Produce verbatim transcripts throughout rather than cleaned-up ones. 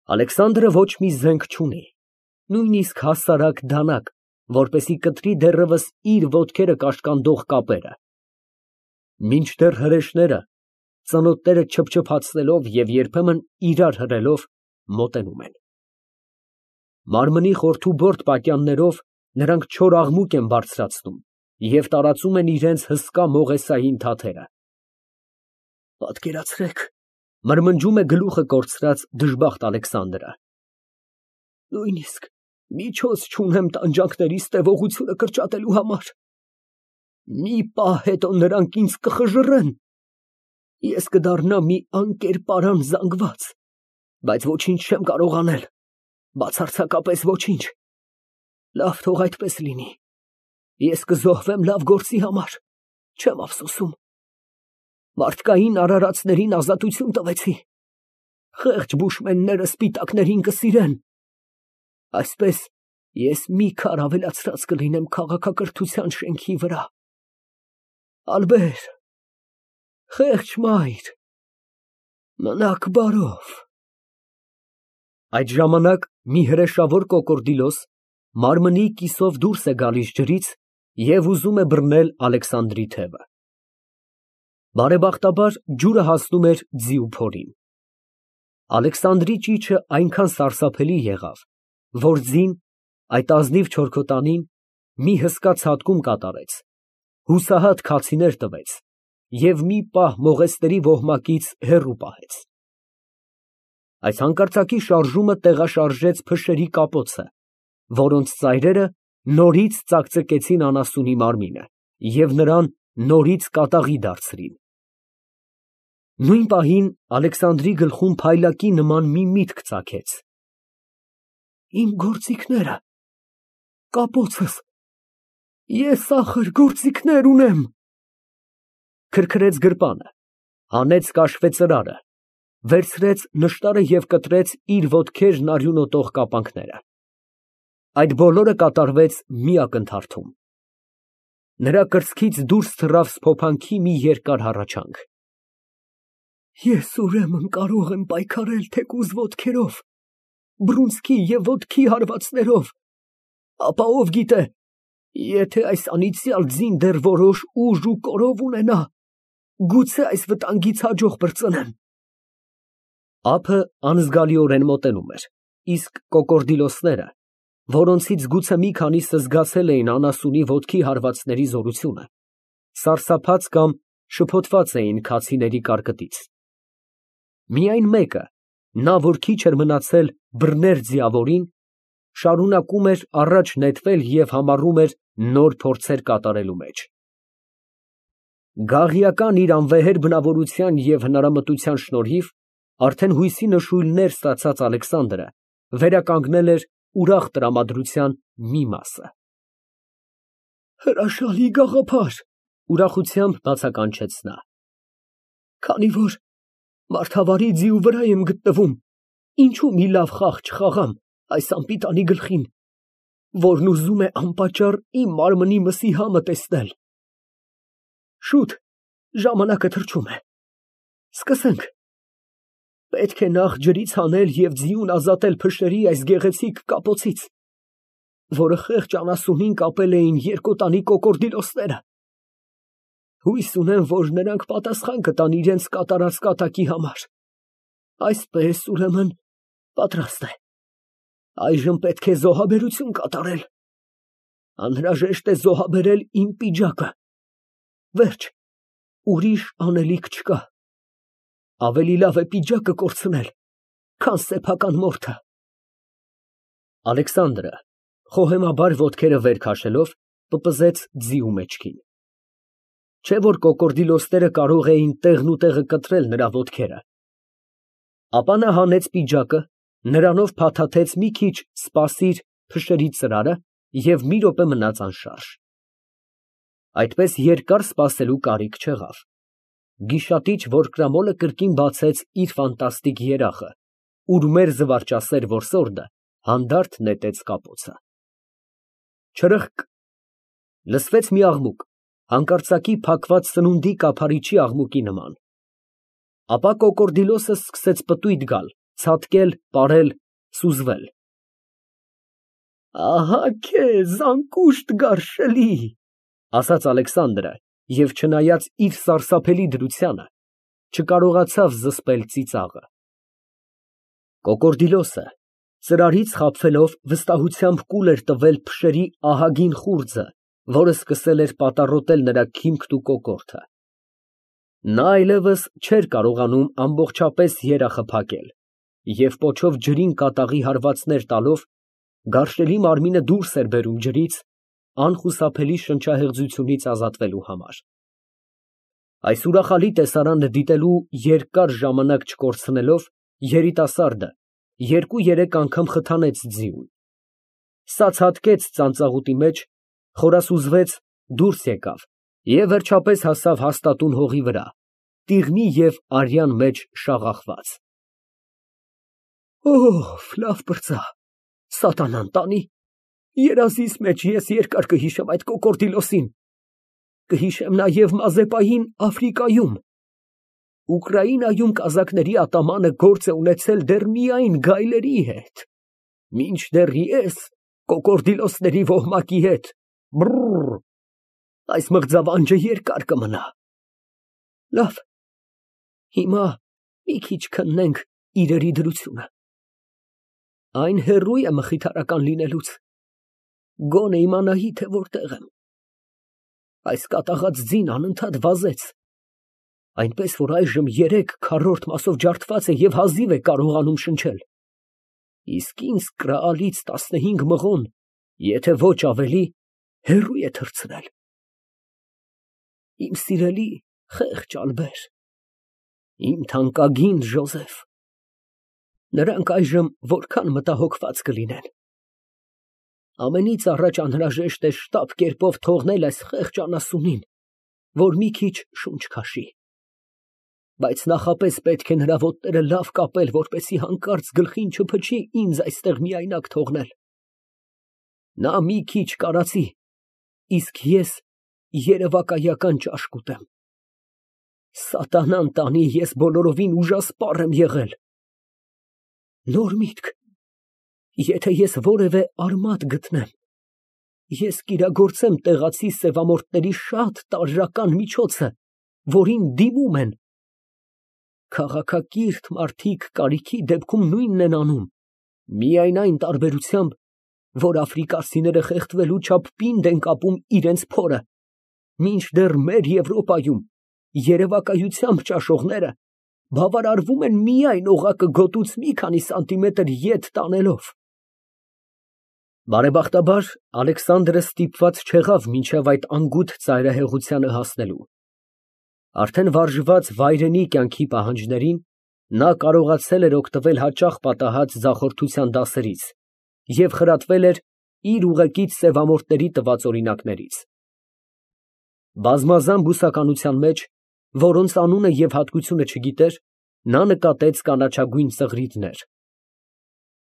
Ալեքսանդրը ոչ մի զենք չունի, նույնիսկ հասարակ դանակ, որպեսզի կտրի դեռևս իր ոտքերը կաշկանդող կապերը, մինչդեռ հրեշները, ծնոտները չփչփացնելով և երբեմն իրար հրելով, մոտենում են։ Մարմնի խորթուբորդ պատյաններով նրանք չոր աղմուկ են բարձրացնում և տարածում են իրենց հսկա մողեսային թաթերը։ Պատկերացրեք, մրմնջում է գլուխը կորցրած դժբախտ Ալեքսանդրը, նույնիսկ միջոց չունեմ տանջանքներիս տևողությունը կրճատելու համար։ Մի պահ հետո նրանք ինձ կխժռեն, ես կդառնամ մի անկերպարան զանգված, բայց ոչինչ չեմ կարող անել, բացարձակապես ոչինչ։ Լավ, թող այդպես լինի, ես կզոհվեմ լավ գործի համար, չեմ ափսոսում։ Մարդկային արարածներին ազատություն տվեցի, խեղճ բուշմենները սպիտակներին կսիրեն, այսպես ես մի քար ավելացրած կլինեմ քաղաքակրթության շենքի վրա։ Ալբեր, խեղճ մայր, մնաք բարով։ Այդ ժամանակ մի հրեշավոր կոկորդիլոս մարմնի կիսով դուրս է գալիս ջրից և ուզում է բռնել Ալեքսանդրի թևը։ Բարեբախտաբար ջուրը հասնում էր ձիու փորին։ Ալեքսանդրի ճիչը այնքան սարսափելի եղավ, որ ձին, այդ ազնիվ չորքոտանին, մի հսկա ցատկում կատարեց, հուսահատ քացիներ տվեց և մի պահ մողեսների ոհմակից հեռու պահեց։ Այս հանկարծակի շարժումը տեղաշարժեց փշերի կապոցը, որոնց ծայրերը նորից ծակծկեցին անասունի մարմինը և նրան նորից կատաղի դարձրին։ Նույն պահին Ալեքսանդրի գլխում փայլակի նման մի միտք ծագեց. «Իմ գործիքները, կապոցս, ես ախր գործիքներ ունեմ»։ Քրքրեց գրպանը, հանեց կաշվե ծրարը, վերցրեց նշտարը և կտրեց իր ոտքերն արյունոտող կապանքները։ Այդ բոլորը կատարվեց մի ակնթարթում։ Նրա կրծքից դուրս թռավ սփոփանքի մի երկար հառաչանք։ Ես ուրեմն կարող եմ պայքարել թեկուզ ոտքերով, բռունցքի և ոտքի հարվածներով, ապա ով գիտե, եթե այս անիծյալ ձին դեռ որոշ ուժ ու կորով ունենա, գուցե այս վտանգից հաջող պրծնեմ։ Ափը անզգալիորեն մոտենում էր, իսկ կոկորդիլոսները, որոնցից գուցե մի քանիսը զգացել էին անասունի ոտքի հարվածների զորությունը, սարսափած կամ շփոթված էին քացիների կարկտից։ Միայն մեկը, նա, որ քիչ էր մնացել բռներ ձիավորին, շարունակում էր առաջ նետվել և համառում էր նոր փորձեր կատարելու մեջ։ Գաղիական իր անվեհեր բնավորության և հնարամտության շնորհիվ արդեն հույսի նշույլներ ստացած Ալեքսանդրը վերականգնել էր ուրախ տրամադրության մի մասը։ Հրաշալի գաղափար, ուրախությամբ բացականչեց նա, քանի որ մարդավարի ձիու վրա եմ գտնվում, ինչու մի լավ խաղ չխաղամ այս անպիտանի գլխին, որն ուզում է անպատճառ իմ մարմնի մսի համը տեսնել։ Շուտ, ժամանակը թռչում է, սկսենք։ Պետք է նախ ջրից հանել և ձիուն ազատել փշերի այս գեղեցիկ կապոցից, որը խեղճ անասունին կապել էին երկոտանի կոկորդիլոսները։ Հույս ունեմ, որ նրանք պատասխան կտան իրենց կատարած կատակի համար։ Այսպես, ուրեմն, պատրաստ է։ Այժմ պետք է զոհաբերություն կատարել։ Անհրաժեշտ է զոհաբերել իմ պիջակը։ Վերջ, ուրիշ անելիք չկա։ Ավելի լավ է պիջակը կորցնել, քան սեփական մորթը։ Ալեքսանդրը, խոհեմաբար ոտքերը վեր քաշելով, պպզեց ձիու մեջքին։ Չէ՞ որ կոկորդիլոսները կարող էին տեղնուտեղը կտրել նրա ոտքերը։ Ապա նա հանեց պիջակը, նրանով փաթաթեց մի քիչ սպասիր փշերի ծրարը և մի րոպե մնաց անշարժ։ Այդպես երկար սպասելու կարիք չեղավ։ Գիշատիչ որկրամոլը կրկին բացեց իր ֆանտաստիկ երախը, ուրմեր զվարճասեր որսորդը հանդարտ նետեց կապոցը։ Չրըխկ… լսվեց մի աղմուկ, հանկարծակի փակված սնունդի կափարիչի աղմուկի նման։ Ապա կոկորդիլոսը սկսեց պտույտ գալ, Ցատկել, պարել, սուզվել։ Ահա քեզ անկուշտ գարշելի, ասաց Ալեքսանդրը և չնայած իր սարսափելի դրությանը, չկարողացավ զսպել ծիծաղը։ Կոկորդիլոսը ծրարից խաբվելով վստահությամբ կուլ էր տվել փշերի ահագին խուրձը, որը սկսել էր պատառոտել նրա քիմքն ու կոկորդը։ Նա այլևս չէր կարողանում ամբողջապես երախը փակել և պոչով ջրին կատաղի հարվածներ տալով գարշելի մարմինը դուրս էր բերում ջրից, անխուսափելի շնչահեղձությունից ազատվելու համար։ Այս ուրախալի տեսարանը դիտելու երկար ժամանակ չկորցնելով, երիտասարդը երկու֊երեք անգամ խթանեց ձիուն։ Սա ցատկեց ծանծաղուտի մեջ, խորասուզվեց, դուրս եկավ և վերջապես հասավ հաստատուն հողի վրա, տիղմի և արյան մեջ շաղախված։ Օհ, լավ պրծա, սատանան տանի, երազիս մեջ ես երկար կհիշեմ այդ կոկորդիլոսին, կհիշեմ նաև Մազեպային Աֆրիկայում, Ուկրաինայում կազակների ատամանը գործ է ունեցել դեռ միայն գայլերի հետ, մինչդեռ ես կոկորդիլոսների ոհմակի հետ, բռռռ, այս մղձավանջը երկար կմնա։ Լավ, հիմա մի քիչ քննենք իրերի դրությունը։ Այն հեռու է մխիթարական լինելուց, գոնե իմանայի, թե որտեղ եմ։ Այս կատաղած ձին անընդհատ վազեց, այնպես որ այժմ երեք քառորդ մասով ջարդված է և հազիվ է կարողանում շնչել, իսկ ինձ կրալից տասնհինգ մղոն, եթե ոչ ավելի, հեռու է թռցրել։ Իմ սիրելի խեղճ Ալբեր, իմ թանկագին Ժոզեֆ, նրանք այժմ որքան մտահոգված կլինեն։ Ամենից առաջ անհրաժեշտ է շտապ կերպով թողնել այս խեղճ անասունին, որ մի քիչ շունչ քաշի, բայց նախապես պետք է նրա ոտները լավ կապել, որպեսզի հանկարծ գլխին չփչի ինձ այստեղ միայնակ թողնել։ Նա մի քիչ կարացի, իսկ ես երևակայական ճաշ կուտեմ։ Սատանան տանի, ես բոլորովին ուժասպառ եմ եղել։ Նոր միտք, եթե ես որևէ արմատ գտնեմ, ես կիրագործեմ տեղացի սևամորթների շատ տարրական միջոցը, որին դիմում են։ Քաղաքակիրթ մարդիկ կարիքի դեպքում նույնն են անում, միայն այն տարբերությամբ, որ աֆրիկացիները խեղդվելու չափ պինդ են կապում իրենց փորը, մինչդեռ մեր Եվրոպայում երևակայությամբ ճաշողները բավարարվում են միայն օղակը գոտուց մի քանի սանտիմետր ետ տանելով։ Բարեբախտաբար, Ալեքսանդրը ստիպված չեղավ մինչև այդ անգութ ծայրահեղությանը հասնելու։ Արդեն վարժված վայրենի կյանքի պահանջներին, նա կարողացել էր օգտվել հաճախ պատահած ձախորդության դասերից և խրատվել էր իր ուղեկից սևամորթների տված օրինակներից։ Բազմազան բուսականության մեջ, որոնց անունը և հատկությունը չգիտեր, նա նկատեց կանաչագույն ծղրիդներ։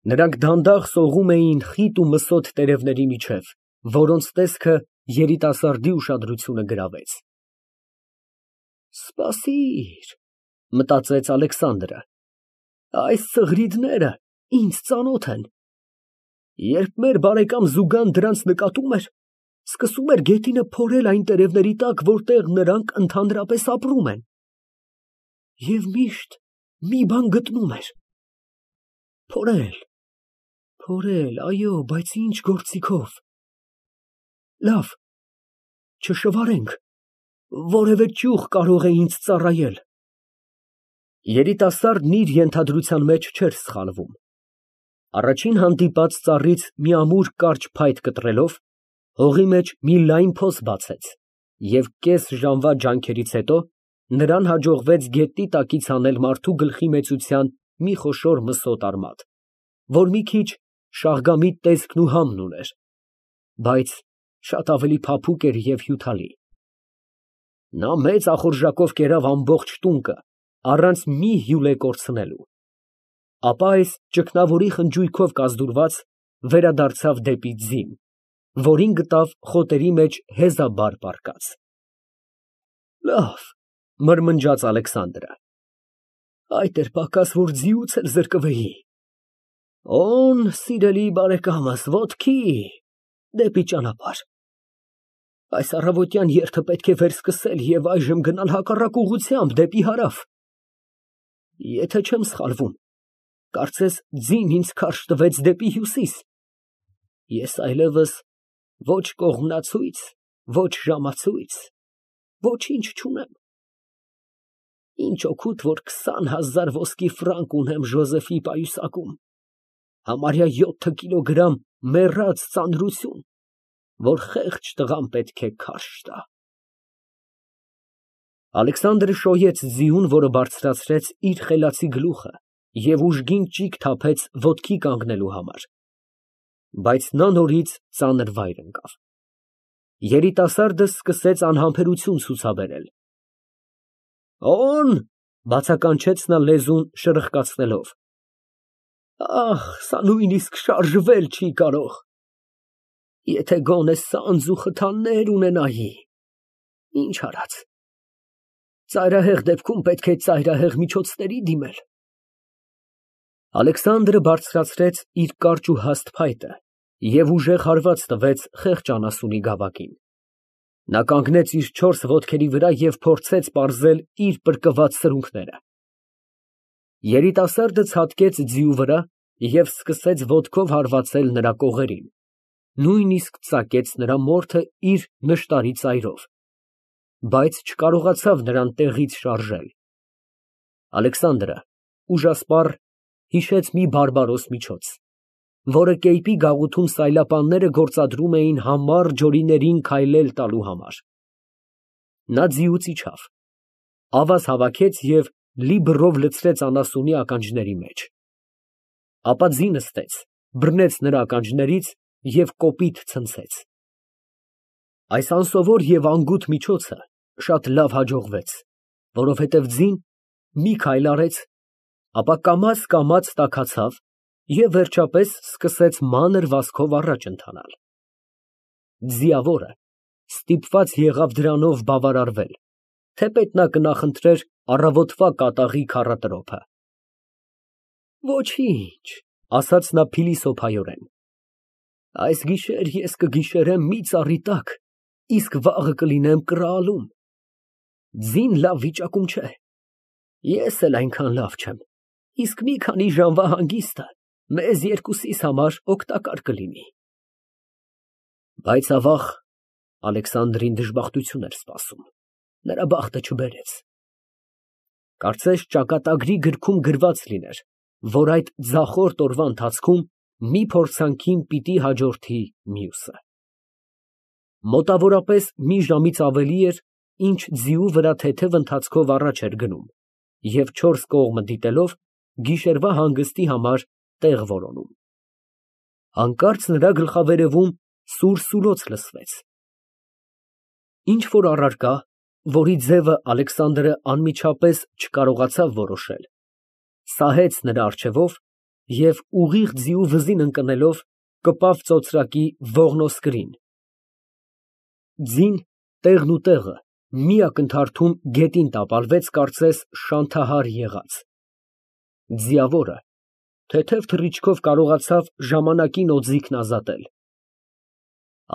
Նրանք դանդաղ սողում էին խիտ ու մսոտ տերևների միջև, որոնց տեսքը երիտասարդի ուշադրությունը գրավեց։ Սպասիր, մտածեց Ալեքսանդրը, այս ծղրիդները ինձ ծանոթ են։ Երբ մեր բարեկամ Զուգան դրանց նկատում էր, սկսում էր գետինը փորել այն տերևների տակ, որտեղ նրանք ընդհանրապես ապրում են, և միշտ մի բան գտնում էր։ Փորել, փորել, այո, բայց ինչ գործիքով։ Լավ, չշվարենք, որևէ ճյուղ կարող է ինձ ծառայել։ Երիտասարդն իր ենթադրության մեջ չէր սխալվում։ Առաջին հանդիպած ծառից մի ամուր կարճ փայտ կտրելով, հողի մեջ մի լայն փոս բացեց և կես ժամվա ջանքերից հետո նրան հաջողվեց գետնի տակից հանել մարդու գլխի մեծության մի խոշոր մսոտ արմատ, որ մի քիչ շաղգամիտ տեսքն ու համն ուներ, բայց շատ ավելի փափուկ էր և հյութալի։ Նա մեծ ախորժակով կերավ ամբողջ տունկը, առանց մի հյուլե կորցնելու, ապա այս ճգնավորի խնջույքով կազդուրված, վերադարձավ դեպի ձին, որին գտավ խոտերի մեջ հեզաբար պառկած։ Լավ, մրմնջաց Ալեքսանդրը, Այդ էր պակաս, որ ձիուց էլ զրկվեի։ Օն, սիրելի բարեկամս, ոտքի, դեպի ճանապարհ։ Այս առավոտյան երթը պետք է վերսկսել և այժմ գնալ հակառակ ուղղությամբ, դեպի հարավ։ Եթե չեմ սխալվում, կարծես ձին ինձ քարշ տվեց դեպի հյուսիս։ Ես այլևս ոչ կողմնացույց, ոչ ժամացույց, ոչինչ չունեմ։ Ինչ օգուտ, որ քսան հազար ոսկի ֆրանկ ունեմ Ժոզեֆի պայուսակում, համարյա յոթ կիլոգրամ մեռած ծանրություն, որ խեղճ տղան պետք է քարշ տա։ Ալեքսանդրը շոյեց ձիուն, որը բարձրացրեց իր խելացի գլուխը և ուժգին ճիգ թափեց ոտքի կանգնելու համար, բայց նա նորից ծանր վայր ընկավ։ Երիտասարդը սկսեց անհամբերություն ցուցաբերել։ Օն, բացականչեց նա լեզուն շրխկացնելով, ախ, սա նույնիսկ շարժվել չի կարող։ Եթե գոնե սանձ ու խթաններ ունենայի, ինչ արած, ծայրահեղ դեպքում պետք է ծայրահեղ միջոցների դիմել։ Ալեքսանդրը բարձրացրեց իր կարճ ու հաստ փայտը և ուժեղ հարված տվեց խեղճ անասունի գավակին։ Նա կանգնեց իր չորս ոտքերի վրա և փորձեց պարզել իր պրկված սրունքները։ Երիտասարդը ցատկեց ձիու վրա և սկսեց ոտքով հարվածել նրա կողերին, նույնիսկ ծակեց նրա մորթը իր նշտարի ծայրով, բայց չկարողացավ նրան տեղից շարժել։ Ալեքսանդրը ուժասպառ հիշեց մի բարբարոս միջոց, որը կեյպի գաղութում սայլապանները գործադրում էին համառ ջորիներին քայլել տալու համար։ Նա ձիուց իջավ, ավազ հավաքեց և լի բռով լցրեց անասունի ականջների մեջ, ապա ձի նստեց, բռնեց նրա ականջներից և կոպիտ ցնցեց։ Այս անսովոր և անգութ միջոցը շատ լավ հաջողվեց, որովհետև ձին մի քայլ արեց, ապա կամաց֊կամաց տաքացավ և վերջապես սկսեց մանր վազքով առաջ ընթանալ։ Ձիավորը ստիպված եղավ դրանով բավարարվել, թեպետ նա կնախընտրեր առավոտվա կատաղի քառատրոփը։ Ոչինչ, ասաց նա փիլիսոփայորեն, այս գիշեր ես կգիշերեմ մի ծառի տակ, իսկ վաղը կլինեմ կռահալում։ Ձին լավ վիճակում չէ, ես էլ այնքան լավ չեմ, իսկ մի քանի ժամվա հանգիստը մեզ երկուսիս համար օգտակար կլինի։ Բայց ավաղ Ալեքսանդրին դժբախտություն էր սպասում, նրա բախտը չբերեց։ Կարծես ճակատագրի գրքում գրված լիներ, որ այդ ձախորդ օրվա ընթացքում մի փորձանքին պիտի հաջորդի մյուսը։ Մոտավորապես մի ժամից ավելի էր, ինչ ձիու վրա թեթև ընթացքով առաջ էր գնում և չորս կողմը դիտելով գիշերվա հանգստի համար տեղ որոնում։ Հանկարծ նրա գլխավերևում սուր սուլոց լսվեց։ Ինչ֊որ առարկա, որի ձևը Ալեքսանդրը անմիջապես չկարողացավ որոշել, սահեց նրա առջևով և ուղիղ ձիու վզին ընկնելով կպավ ծոծրակի ողնոսկրին։ Ձին տեղն ու տեղը մի ակնթարթում գետին տապալվեց, կարծես շանթահար եղած։ Ձիավորը թեթև թռիչքով կարողացավ ժամանակին օձիքն ազատել։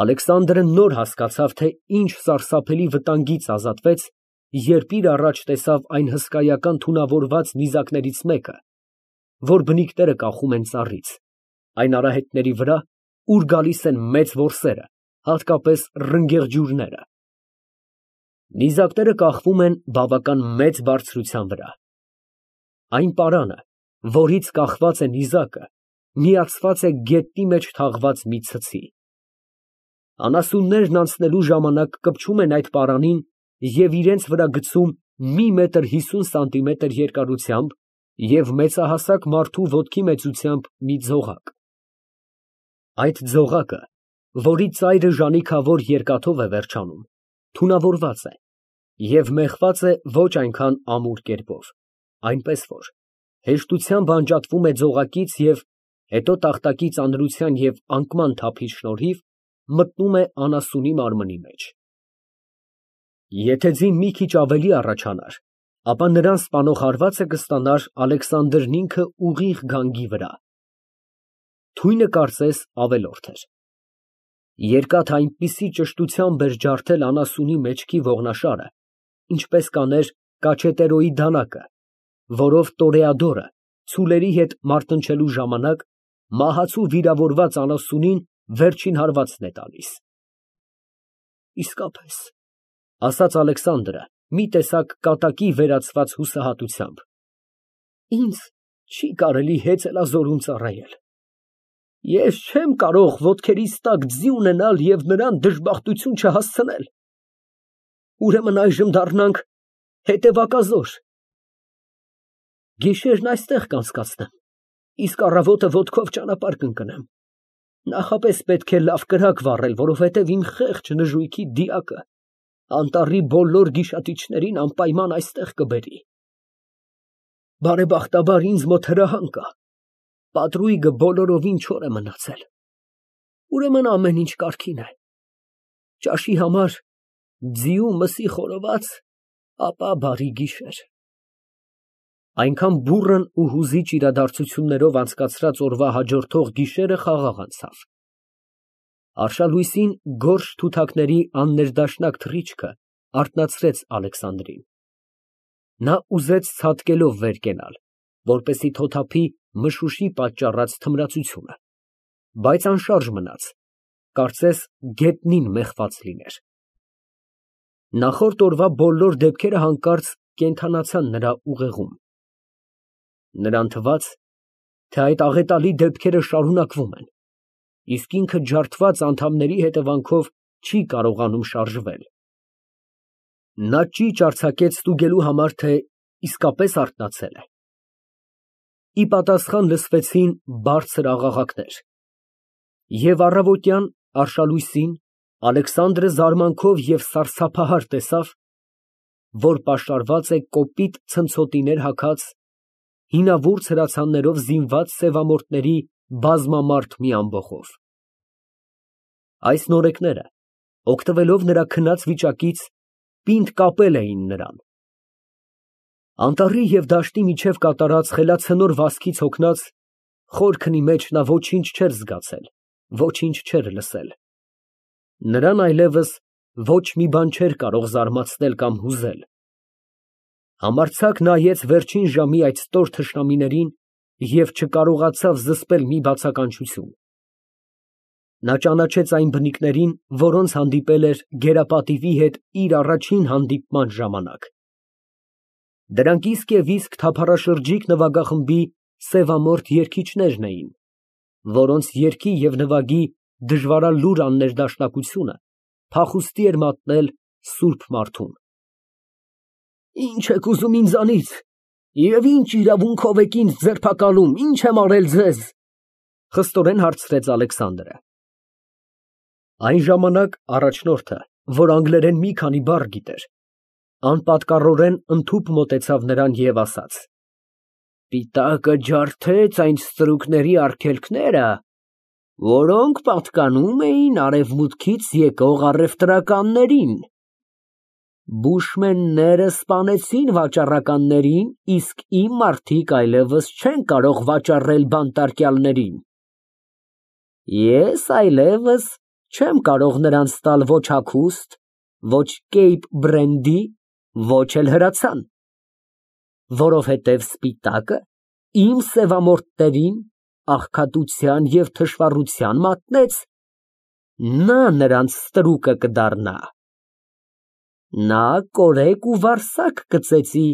Ալեքսանդրը նոր հասկացավ, թե ինչ սարսափելի վտանգից ազատվեց, երբ իր առաջ տեսավ այն հսկայական թունավորված նիզակներից մեկը, որ բնիկները կախում են ծառից, այն արահետների վրա, ուր գալիս են մեծ որսերը, հատկապես ռնգեղջյուրները։ Նիզակները կախվում են բավական մեծ բարձրության վրա։ Այն պարանը, որից կախված է նիզակը, միացված է գետնի մեջ թաղված մի ցցի։ Անասուններն անցնելու ժամանակ կպչում են այդ պարանին և իրենց վրա գցում մի մետր հիսուն սանտիմետր երկարությամբ և մեծահասակ մարդու ոտքի մեծությամբ մի ձողակ։ Այդ ձողակը, որի ծայրը ժանիքավոր երկաթով է վերջանում, թունավորված է և մեխված է ոչ այնքան ամուր կերպով, այնպես որ հեշտությամբ անջատվում է ձողակից և հետո տախտակի ծանրության և անկման թափի շնորհիվ մտնում է անասունի մարմնի մեջ։ Եթե ձին մի քիչ ավելի առաջանար, ապա նրան սպանող հարվածը կստանար Ալեքսանդրն ինքը ուղիղ գանգի վրա։ Թույնը կարծես ավելորդ էր։ Երկաթ այնպիսի ճշտությամբ էր ջարդել անասունի մեջքի ողնաշարը, ինչպես կաներ Կաչետերոյի դանակը, որով տորեադորը ցուլերի հետ մարտնչելու ժամանակ մահացու վիրավորված անասունին վերջին հարվածն է տալիս։ Իսկապես, ասաց Ալեքսանդրը մի տեսակ կատակի վերածված հուսահատությամբ, ինձ չի կարելի հեծելազորում ծառայել։ Ես չեմ կարող ոտքերիս տակ ձի ունենալ և նրան դժբախտություն չհասցնել։ Ուրեմն այժմ դառնանք հետևակազոր։ Գիշերն այստեղ կանցկացնեմ, իսկ առավոտը ոտքով ճանապարհ կընկնեմ։ Նախապես պետք է լավ կրակ վառել, որովհետև իմ խեղճ նժույգի դիակը անտառի բոլոր գիշատիչներին անպայման այստեղ կբերի։ Բարեբախտաբար ինձ մոտ հրահան կա, պատրույգը բոլորովին չոր է մնացել, ուրեմն ամեն ինչ կարգին է։ Ճաշի համար ձիու մսի խորոված, ապա բարի գիշեր։ Այնքան բուռն ու հուզիչ իրադարձություններով անցկացրած օրվա հաջորդող գիշերը խաղաղ անցավ։ Արշալույսին գորշ թութակների աններդաշնակ թռիչքը արթնացրեց Ալեքսանդրին։ Նա ուզեց ցատկելով վեր կենալ, որպեսզի թոթափի մշուշի պատճառած թմրածությունը, բայց անշարժ մնաց, կարծես գետնին մեխված լիներ։ Նախորդ օրվա բոլոր դեպքերը հանկարծ կենդանացան նրա ուղեղում։ Նրան թվաց, թե այդ աղետալի դեպքերը շարունակվում են, իսկ ինքը ջարդված անդամների հետևանքով չի կարողանում շարժվել։ Նա ճիչ արձակեց ստուգելու համար, թե իսկապես արթնացել է։ Ի պատասխան լսվեցին բարձր աղաղակներ, և առավոտյան արշալույսին Ալեքսանդրը զարմանքով և սարսափահար տեսավ, որ պաշարված է կոպիտ ցնցոտիներ հագած, հինավուրց հրացաններով զինված սևամորթների բազմամարդ մի ամբոխով։ Այս նորեկները, օգտվելով նրա քնած վիճակից, պինդ կապել էին նրան։ Անտառի և դաշտի միջև կատարած խելացնոր վազքից հոգնած, խորքնի մեջ նա ոչինչ չէր զգացել, ոչինչ չէր լսել։ Նրան այլևս ոչ մի բան չէր կարող զարմացնել կամ հուզել։ Համարձակ նայեց վերջին ժամի այդ ստոր թշնամիներին և չկարողացավ զսպել մի բացականչություն։ Նա ճանաչեց այն բնիկներին, որոնց հանդիպել էր գերապատիվի հետ իր առաջին հանդիպման ժամանակ։ Դրանք իսկ և իսկ թափառաշրջիկ նվագախմբի սևամորթ երգիչներն էին, որոնց երգի և նվագի դժվարալուր աններդաշնակությունը փախուստի էր մատնել սուրբ մարդուն։ Ի՞նչ եք ուզում ինձանից, և ի՞նչ իրավունքով եք ինձ ձերբակալում, ի՞նչ եմ արել ձեզ, ֊ խստորեն հարցրեց Ալեքսանդրը։ Այն ժամանակ առաջնորդը, որ անգլերեն մի քանի բառ գիտեր, անպատկառորեն ընդհուպ մոտեցավ նրան և ասաց. Սպիտակը ջարդեց այն ստրուկների արգելքները, որոնք պատկանում էին արևմուտքից եկող առևտրականներին։ Բուշմենները սպանեցին վաճառականներին, իսկ իմ մարդիկ այլևս չեն կարող վաճառել բանտարկյալներին։ Ես այլևս չեմ կարող նրանց տալ ոչ հագուստ, ոչ կեյպ բրենդի, ոչ էլ հրացան, որովհետև սպիտակը իմ սևամորթներին աղքատության և թշվառության մատնեց, նա նրանց ստրուկը կդառնա։ Նա կորեկ ու վարսակ կծեծի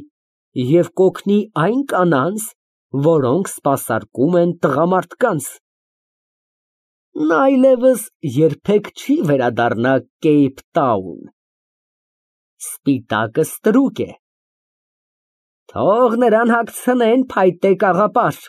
և կօգնի այն կանանց, որոնք սպասարկում են տղամարդկանց։ Նա այլևս երբեք չի վերադառնա Կեյփտաուն։ Սպիտակը ստրուկ է, թող նրան հագցնեն փայտե կաղապար։